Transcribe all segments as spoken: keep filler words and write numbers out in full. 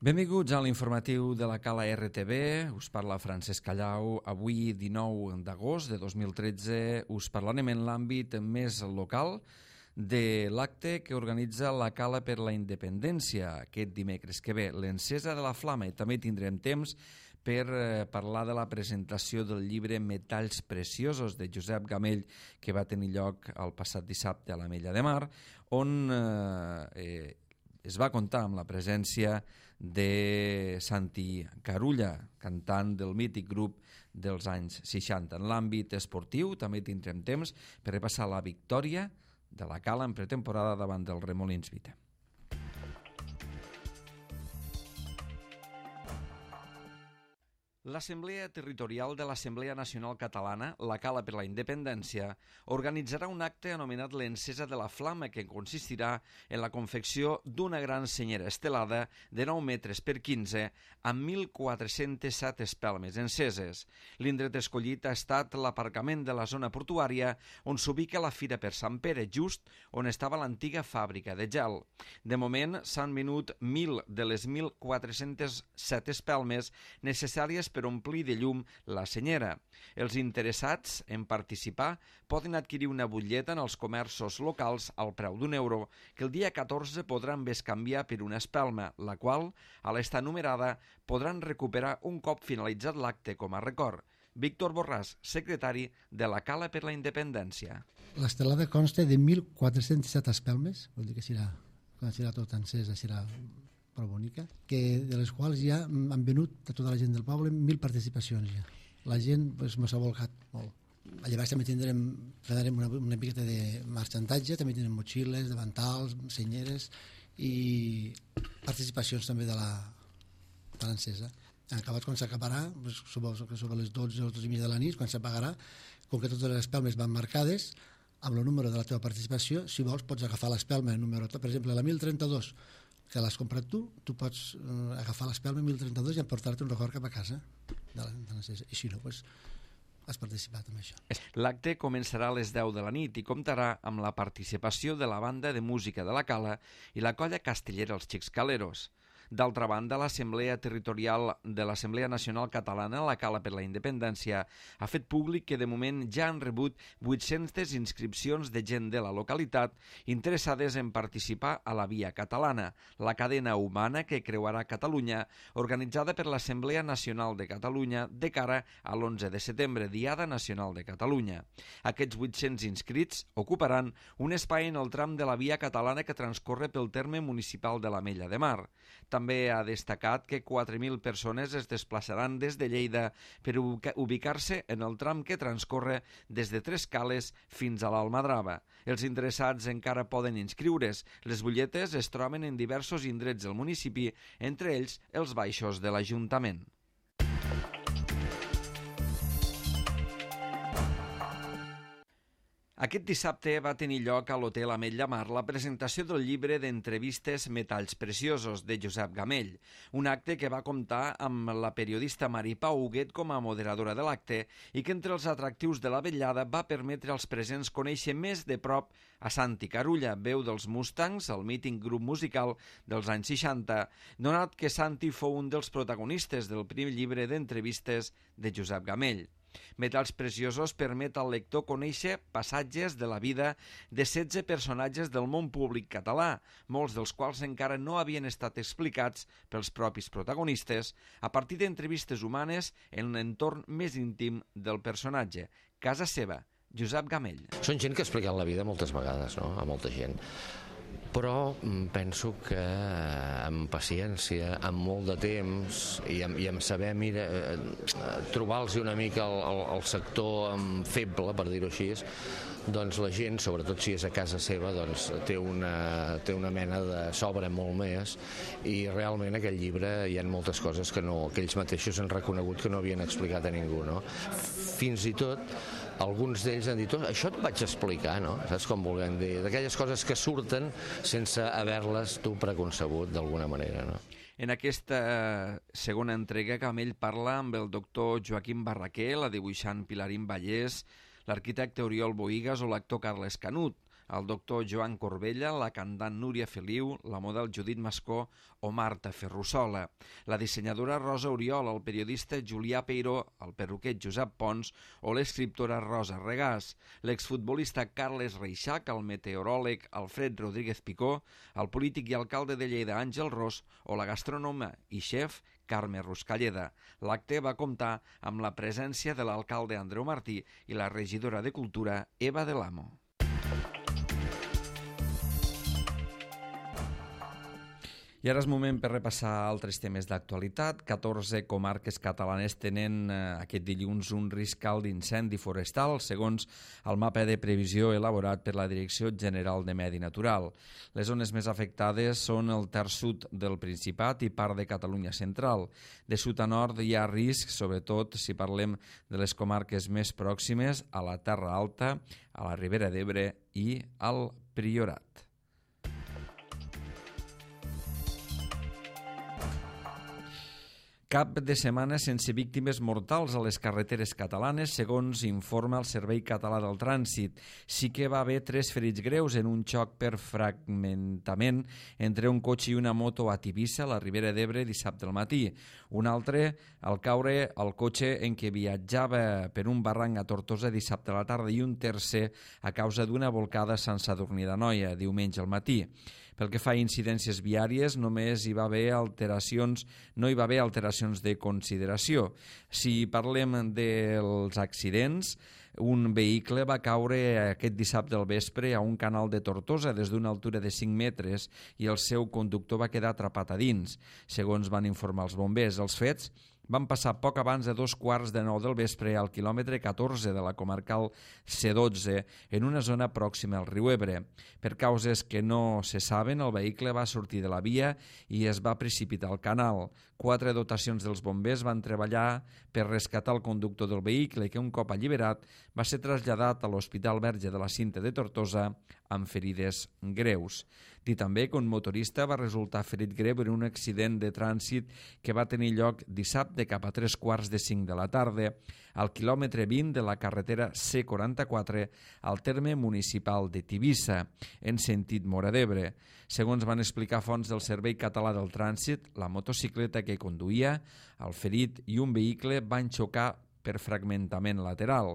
Benvinguts a l'informatiu de la Cala R T V. Us parla Francesc Callau. Avui, dinou d'agost de dos mil tretze, us parlarem en l'àmbit més local de l'acte que organitza la Cala per la Independència aquest dimecres que ve, l'encesa de la flama, i també tindrem temps per parlar de la presentació del llibre Metalls Preciosos de Josep Gamell, que va tenir lloc el passat dissabte a l'Ametlla de Mar, on eh, es va comptar amb la presència de Santi Carulla, cantant del mític grup dels anys seixanta. En l'àmbit esportiu també tindrem temps per repassar la victòria de la Cala en pretemporada davant del Remolins Vita. L'Assemblea Territorial de l'Assemblea Nacional Catalana, la Cala per la Independència, organitzarà un acte anomenat l'Encesa de la Flama, que consistirà en la confecció d'una gran senyera estelada de nou metres per quinze amb mil quatre-cents set espelmes enceses. L'indret escollit ha estat l'aparcament de la zona portuària on s'ubica la Fira per Sant Pere, just on estava l'antiga fàbrica de gel. De moment s'han venut mil de les mil quatre-cents set espelmes necessàries per omplir de llum la senyera. Els interessats en participar poden adquirir una butlleta en els comerços locals al preu d'un euro, que el dia catorze podran bescanviar per una espelma, la qual, a l'estar numerada, podran recuperar un cop finalitzat l'acte com a record. Víctor Borràs, secretari de la Cala per la Independència. L'estelada consta de mil quatre-cents set espelmes, vol dir que serà, quan serà tot encesa, serà prou bonica, que de les quals ja han venut a tota la gent del poble mil participacions ja. La gent pues, mos ha volcat molt. A llavors també tindrem, farem una, una miqueta de marxantatge, també tindrem motxilles, davantals, senyeres i participacions també de la de l'encesa. Acabat quan s'acabarà, pues, suposo que sobre les dotze o dotze i mitja de la nit, quan s'apagarà, com que totes les espelmes van marcades, amb el número de la teva participació, si vols pots agafar l'espelma, el número, per exemple, la mil trenta-dos, que l'has comprat tu, tu pots eh, agafar l'espelma mil trenta-dos i emportar-te un record cap a casa de la, de la, i si no, doncs has participat en això. L'acte començarà a les deu de la nit i comptarà amb la participació de la banda de música de la Cala i la colla castellera Els Xics Caleros. D'altra banda, l'Assemblea Territorial de l'Assemblea Nacional Catalana, la Cala per la Independència, ha fet públic que de moment ja han rebut vuit-centes inscripcions de gent de la localitat interessades en participar a la Via Catalana, la cadena humana que creuarà Catalunya, organitzada per l'Assemblea Nacional de Catalunya de cara a l'onze de setembre, Diada Nacional de Catalunya. Aquests vuit-cents inscrits ocuparan un espai en el tram de la Via Catalana que transcorre pel terme municipal de l'Ametlla de Mar. També ha destacat que quatre mil persones es desplaçaran des de Lleida per ubicar-se en el tram que transcorre des de Tres Cales fins a l'Almadrava. Els interessats encara poden inscriure's. Les butlletes es troben en diversos indrets del municipi, entre ells els baixos de l'Ajuntament. Aquest dissabte va tenir lloc a l'Hotel Ametlla Mar la presentació del llibre d'entrevistes Metalls Preciosos de Josep Gamell, un acte que va comptar amb la periodista Mari Pau Huguet com a moderadora de l'acte i que entre els atractius de la vetllada va permetre als presents conèixer més de prop a Santi Carulla, veu dels Mustangs, el mític grup musical dels anys seixanta, donat que Santi fou un dels protagonistes del primer llibre d'entrevistes de Josep Gamell. Metalls Preciosos permet al lector conèixer passatges de la vida de setze personatges del món públic català, molts dels quals encara no havien estat explicats pels propis protagonistes, a partir d'entrevistes humanes en l'entorn més íntim del personatge, casa seva, Josep Gamell. Són gent que ha explicat la vida moltes vegades, no?, a molta gent. Però penso que amb paciència, amb molt de temps i amb, i amb saber, mira, trobar-los una mica el, el, el sector feble, per dir-ho així, doncs la gent, sobretot si és a casa seva, doncs té una, té una mena de sobre molt més, i realment aquell llibre hi ha moltes coses que, no, que ells mateixos han reconegut que no havien explicat a ningú, no? Fins i tot alguns d'ells han dit, oh, això et vaig explicar, no? Saps com volem dir? D'aquelles coses que surten sense haver-les tu preconcebut d'alguna manera, no? En aquesta segona entrega, Gamell parla amb el doctor Joaquim Barraquer, la dibuixant Pilarín Vallès, l'arquitecte Oriol Bohigas o l'actor Carles Canut. el doctor Joan Corbella, la cantant Núria Feliu, la model Judit Mascó o Marta Ferrusola, la dissenyadora Rosa Oriol, el periodista Julià Peiró, el perruquer Josep Pons o l'escriptora Rosa Regàs, l'exfutbolista Carles Reixac, el meteoròleg Alfred Rodríguez Picó, el polític i alcalde de Lleida Àngel Ros o la gastrònoma i xef Carme Ruscalleda. L'acte va comptar amb la presència de l'alcalde Andreu Martí i la regidora de Cultura Eva del Amo. I ara és moment per repassar altres temes d'actualitat. catorze comarques catalanes tenen eh, aquest dilluns un risc alt d'incendi forestal, segons el mapa de previsió elaborat per la Direcció General de Medi Natural. Les zones més afectades són el terç sud del Principat i part de Catalunya central. De sud a nord hi ha risc, sobretot si parlem de les comarques més pròximes, a la Terra Alta, a la Ribera d'Ebre i al Priorat. Cap de setmana sense víctimes mortals a les carreteres catalanes, segons informa el Servei Català del Trànsit. Sí que va haver tres ferits greus en un xoc per fragmentament entre un cotxe i una moto a Tivissa, a la Ribera d'Ebre, dissabte al matí. Un altre, al caure el cotxe en què viatjava per un barranc a Tortosa dissabte a la tarda, i un tercer a causa d'una volcada a Sant Sadurní d'Anoia, diumenge al matí. Pel que fa a incidències viàries, només hi va haver alteracions, no hi va haver alteracions de consideració. Si parlem dels accidents, un vehicle va caure aquest dissabte al vespre a un canal de Tortosa des d'una altura de cinc metres i el seu conductor va quedar atrapat a dins, segons van informar els bombers. Els fets van passar poc abans de dos quarts de nou del vespre al quilòmetre catorze de la comarcal C dotze, en una zona pròxima al riu Ebre. Per causes que no se saben, el vehicle va sortir de la via i es va precipitar al canal. Quatre dotacions dels bombers van treballar per rescatar el conductor del vehicle, que un cop alliberat va ser traslladat a l'Hospital Verge de la Cinta de Tortosa amb ferides greus. Dir també que un motorista va resultar ferit greu en un accident de trànsit que va tenir lloc dissabte cap a tres quarts de cinc de la tarda al quilòmetre vint de la carretera C quaranta-quatre al terme municipal de Tivissa, en sentit Móra d'Ebre. Segons van explicar fonts del Servei Català del Trànsit, la motocicleta que conduïa, el ferit i un vehicle van xocar per fragmentament lateral.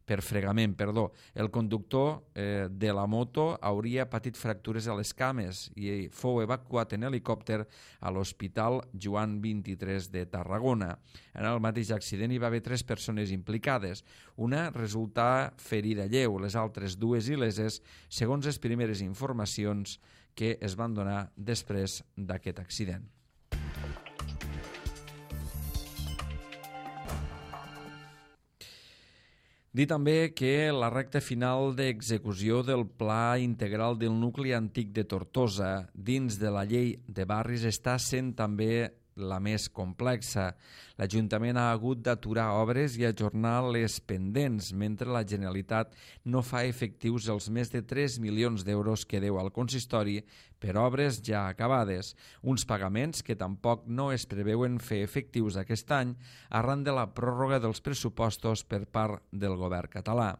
per fregament, perdó. El conductor eh, de la moto hauria patit fractures a les cames i fou evacuat en helicòpter a l'Hospital Joan vint-i-tres de Tarragona. En el mateix accident hi va haver tres persones implicades. Una resultà ferida lleu, les altres dues il·leses, segons les primeres informacions que es van donar després d'aquest accident. Dir també que la recta final d'execució del Pla Integral del Nucli Antic de Tortosa dins de la Llei de Barris està sent també la més complexa. L'Ajuntament ha hagut d'aturar obres i ajornar les pendents, mentre la Generalitat no fa efectius els més de tres milions d'euros que deu al consistori per obres ja acabades, uns pagaments que tampoc no es preveuen fer efectius aquest any arran de la pròrroga dels pressupostos per part del govern català.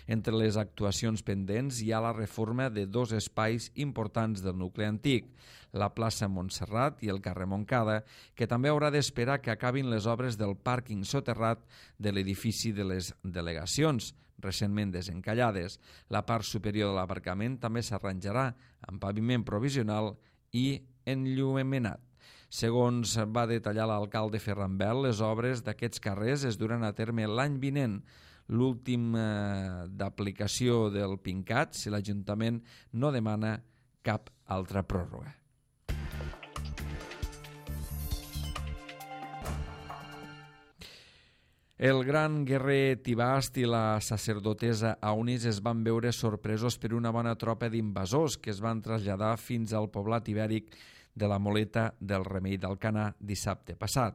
Entre les actuacions pendents hi ha la reforma de dos espais importants del nucli antic, la plaça Montserrat i el carrer Montcada, que també haurà d'esperar que acabin les obres del pàrquing soterrat de l'edifici de les delegacions, recentment desencallades. La part superior de l'aparcament també s'arranjarà amb paviment provisional i enllumenat. Segons va detallar l'alcalde Ferran Bel, les obres d'aquests carrers es duran a terme l'any vinent, l'últim eh, d'aplicació del PINCAT, si l'Ajuntament no demana cap altra pròrroga. El gran guerrer Tibast i la sacerdotessa Aunis es van veure sorpresos per una bona tropa d'invasors que es van traslladar fins al poblat ibèric de la Moleta del Remei d'Alcanar dissabte passat.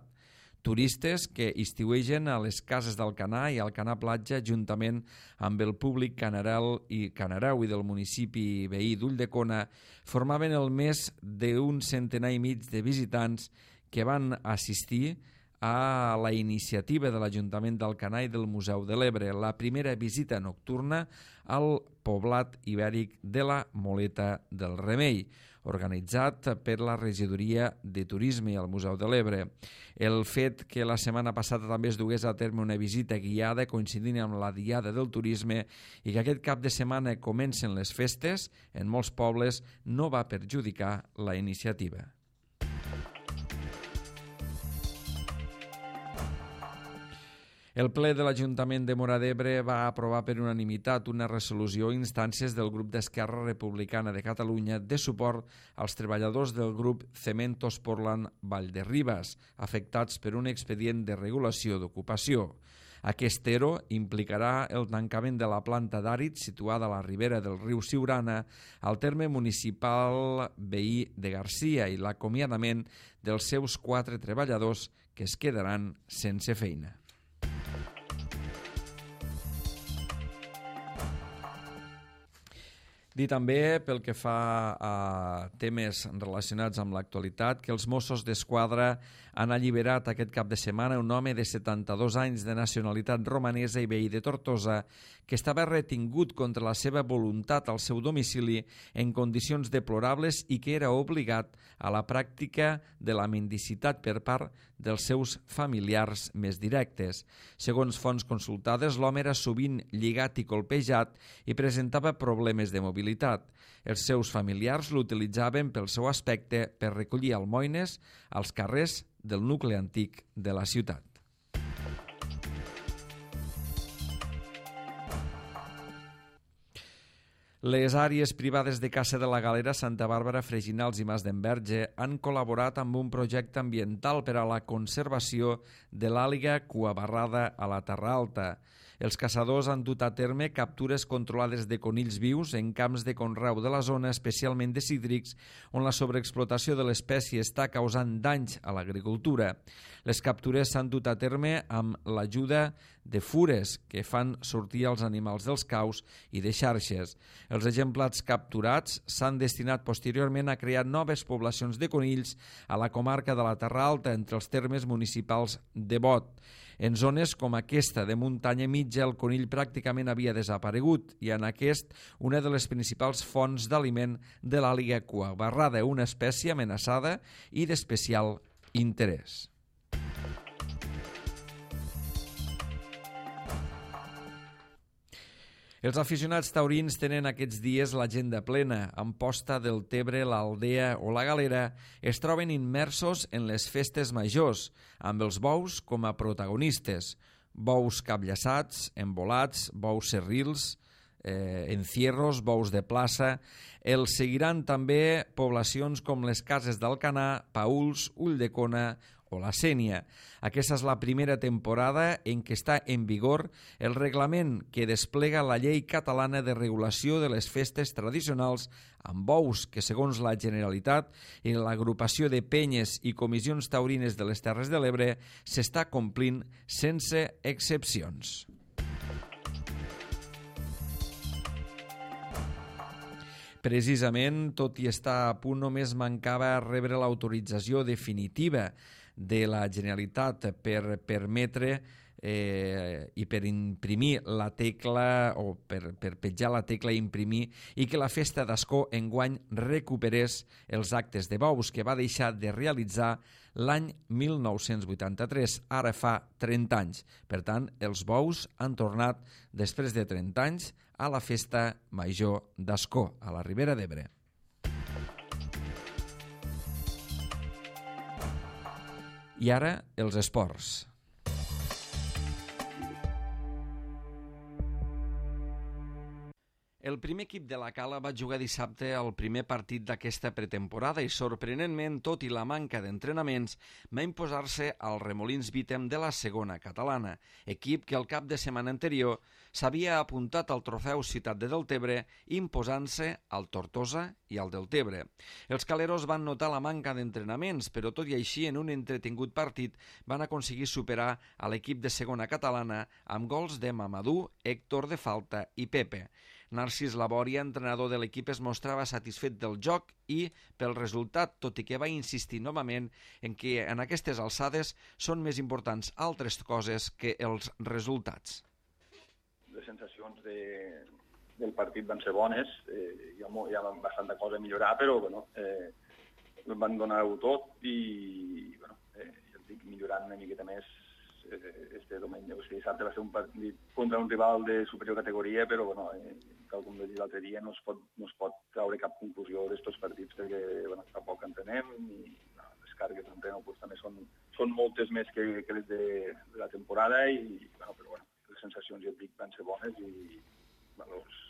Turistes que estiuegen a les cases d'Alcanar i Alcanar Platja juntament amb el públic canarel i canareu i del municipi veí d'Ulldecona formaven el més d'un centenar i mig de visitants que van assistir a la iniciativa de l'Ajuntament d'Alcanar i del Museu de l'Ebre, la primera visita nocturna al poblat ibèric de la Moleta del Remei, organitzat per la Regidoria de Turisme i el Museu de l'Ebre. El fet que la setmana passada també es dugués a terme una visita guiada coincidint amb la Diada del Turisme i que aquest cap de setmana comencen les festes, en molts pobles no va perjudicar la iniciativa. El ple de l'Ajuntament de Móra d'Ebre va aprovar per unanimitat una resolució a instàncies del grup d'Esquerra Republicana de Catalunya de suport als treballadors del grup Cementos Portland Vallderribas, afectats per un expedient de regulació d'ocupació. Aquest ERO implicarà el tancament de la planta d'àrid situada a la ribera del riu Siurana al terme municipal veí de Garcia i l'acomiadament dels seus quatre treballadors que es quedaran sense feina. Dir també, pel que fa a temes relacionats amb l'actualitat, que els Mossos d'Esquadra han alliberat aquest cap de setmana un home de setanta-dos anys de nacionalitat romanesa i veí de Tortosa que estava retingut contra la seva voluntat al seu domicili en condicions deplorables i que era obligat a la pràctica de la mendicitat per part dels seus familiars més directes. Segons fonts consultades, l'home era sovint lligat i colpejat i presentava problemes de mobilitat. Els seus familiars l'utilitzaven pel seu aspecte per recollir almoines als carrers del nucli antic de la ciutat. Les àrees privades de caça de la Galera, Santa Bàrbara, Freginals i Mas d'Enverge han col·laborat amb un projecte ambiental per a la conservació de l'àliga cuabarrada a la Terra Alta. Els caçadors han dut a terme captures controlades de conills vius en camps de conreu de la zona, especialment de cítrics, on la sobreexplotació de l'espècie està causant danys a l'agricultura. Les captures s'han dut a terme amb l'ajuda de fures que fan sortir els animals dels caus i de xarxes. Els exemplars capturats s'han destinat posteriorment a crear noves poblacions de conills a la comarca de la Terra Alta, entre els termes municipals de Bot. En zones com aquesta de muntanya mitja el conill pràcticament havia desaparegut i en aquest una de les principals fonts d'aliment de l'àliga cuabarrada, una espècie amenaçada i d'especial interès. Els aficionats taurins tenen aquests dies l'agenda plena. Amposta, Deltebre, l'Aldea o la Galera es troben immersos en les festes majors, amb els bous com a protagonistes. Bous capllaçats, embolats, bous serrils, eh, encierros, bous de plaça. Els seguiran també poblacions com les Cases d'Alcanar, Paüls, Ulldecona o la Sénia. Aquesta és la primera temporada en què està en vigor el reglament que desplega la llei catalana de regulació de les festes tradicionals amb bous que, segons la Generalitat i l'agrupació de penyes i comissions taurines de les Terres de l'Ebre, s'està complint sense excepcions. Precisament, tot i estar a punt, només mancava rebre l'autorització definitiva de la Generalitat per permetre eh, i per imprimir la tecla o per, per petjar la tecla i imprimir i que la festa d'Ascó enguany recuperés els actes de bous que va deixar de realitzar l'any mil nou-cents vuitanta-tres, ara fa trenta anys. Per tant, els bous han tornat després de trenta anys a la festa major d'Ascó, a la Ribera d'Ebre. I ara, els esports. El primer equip de la Cala va jugar dissabte el primer partit d'aquesta pretemporada i, sorprenentment, tot i la manca d'entrenaments, va imposar-se al Remolins Vítem de la segona catalana, equip que el cap de setmana anterior s'havia apuntat al trofeu Ciutat de Deltebre, imposant-se al Tortosa i al Deltebre. Els caleros van notar la manca d'entrenaments, però tot i així, en un entretingut partit, van aconseguir superar a l'equip de segona catalana amb gols de Mamadou, Héctor de Falta i Pepe. Narcís Labòria, entrenador de l'equip, es mostrava satisfet del joc i pel resultat, tot i que va insistir novament en que en aquestes alçades són més importants altres coses que els resultats. Les sensacions de, del partit van ser bones, eh, hi, ha, hi ha bastanta cosa a millorar, però bueno, eh, van donar-ho tot i bueno, eh, ja et dic, millorant una miqueta més este diumenge. O sigui, dissabte va ser un partit contra un rival de superior categoria, però bueno, eh, tal com vaig dir l'altre dia, no es pot, no es pot treure cap conclusió d'estos partits perquè bueno, fa poc entrenem i no, les càrregues d'entrenament pues, també són, són moltes més que, que les de, de la temporada i bueno, però bueno, les sensacions ja et dic van ser bones i bueno, els,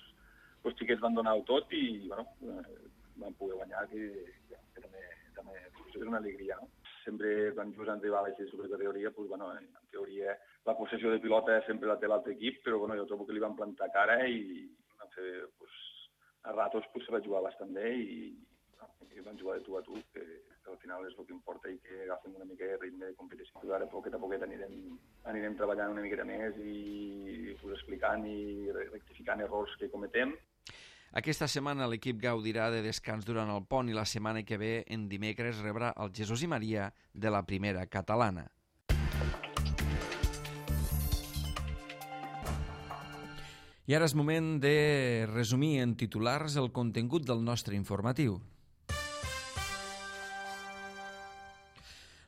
els xiquets van donar-ho tot i bueno, eh, van poder guanyar que, que també, també és una alegria, no? Sempre quan jugues en rivals de supercategoria, pues, bueno, en teoria la possessió de pilota sempre la té l'altre equip, però bueno, jo trobo que li van plantar cara i van fer, pues, a ratos pues, se va jugar bastant bé i, i van jugar de tu a tu, que, que al final és el que importa i que agafem una mica de ritme de competició. Ara poquet a poquet anirem, anirem treballant una miqueta més i pues, explicant i rectificant errors que cometem. Aquesta setmana l'equip gaudirà de descans durant el pont i la setmana que ve, en dimecres, rebrà el Jesús i Maria de la primera catalana. I ara és moment de resumir en titulars el contingut del nostre informatiu.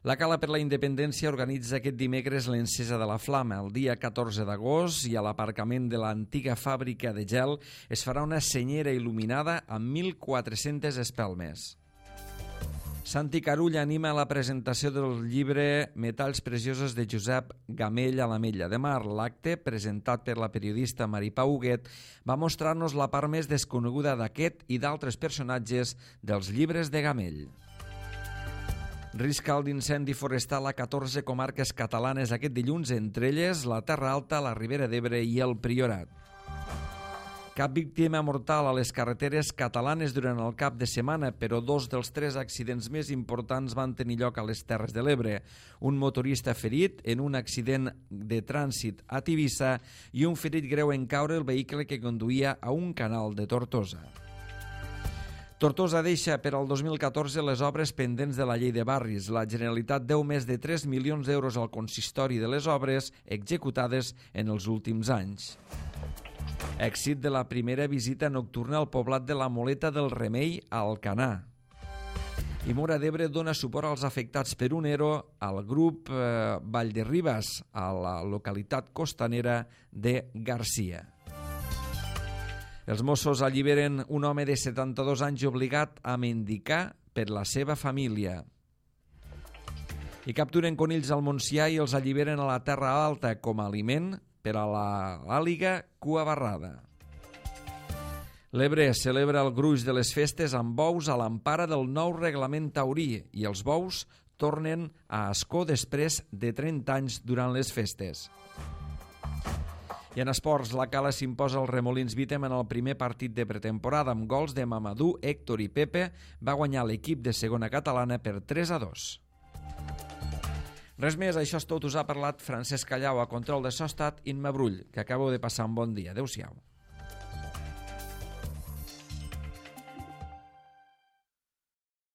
La Cala per la Independència organitza aquest dimecres l'encesa de la flama. El dia catorze d'agost i a l'aparcament de l'antiga fàbrica de gel es farà una senyera il·luminada amb mil quatre-centes espelmes. Santi Carull anima la presentació del llibre Metalls preciosos de Josep Gamell a l'Ametlla de Mar. L'acte, presentat per la periodista Maripau Huguet, va mostrar-nos la part més desconeguda d'aquest i d'altres personatges dels llibres de Gamell. Risc alt d'incendi forestal a catorze comarques catalanes aquest dilluns, entre elles la Terra Alta, la Ribera d'Ebre i el Priorat. Cap víctima mortal a les carreteres catalanes durant el cap de setmana, però dos dels tres accidents més importants van tenir lloc a les Terres de l'Ebre. Un motorista ferit en un accident de trànsit a Tivissa i un ferit greu en caure el vehicle que conduïa a un canal de Tortosa. Tortosa deixa per al dos mil catorze les obres pendents de la llei de barris. La Generalitat deu més de tres milions d'euros al consistori de les obres executades en els últims anys. Èxit de la primera visita nocturna al poblat de la Moleta del Remei a Alcanar. I Móra d'Ebre dona suport als afectats per un ERO al grup eh, Vall de Ribes, a la localitat costanera de Garcia. Els Mossos alliberen un home de setanta-dos anys obligat a mendicar per la seva família. I capturen conills al Montsià i els alliberen a la Terra Alta com a aliment per a l'àliga cua barrada. L'Ebre celebra el gruix de les festes amb bous a l'empara del nou reglament taurí i els bous tornen a Ascó després de trenta anys durant les festes. I en esports, la Cala s'imposa al Remolins Vítem en el primer partit de pretemporada amb gols de Mamadou, Héctor i Pepe. Va guanyar l'equip de segona catalana per tres a dos. Res més, això és tot. Us ha parlat Francesc Callau, a control de so ha estat Imma Brull, que acabo de passar un bon dia. Adéu-siau.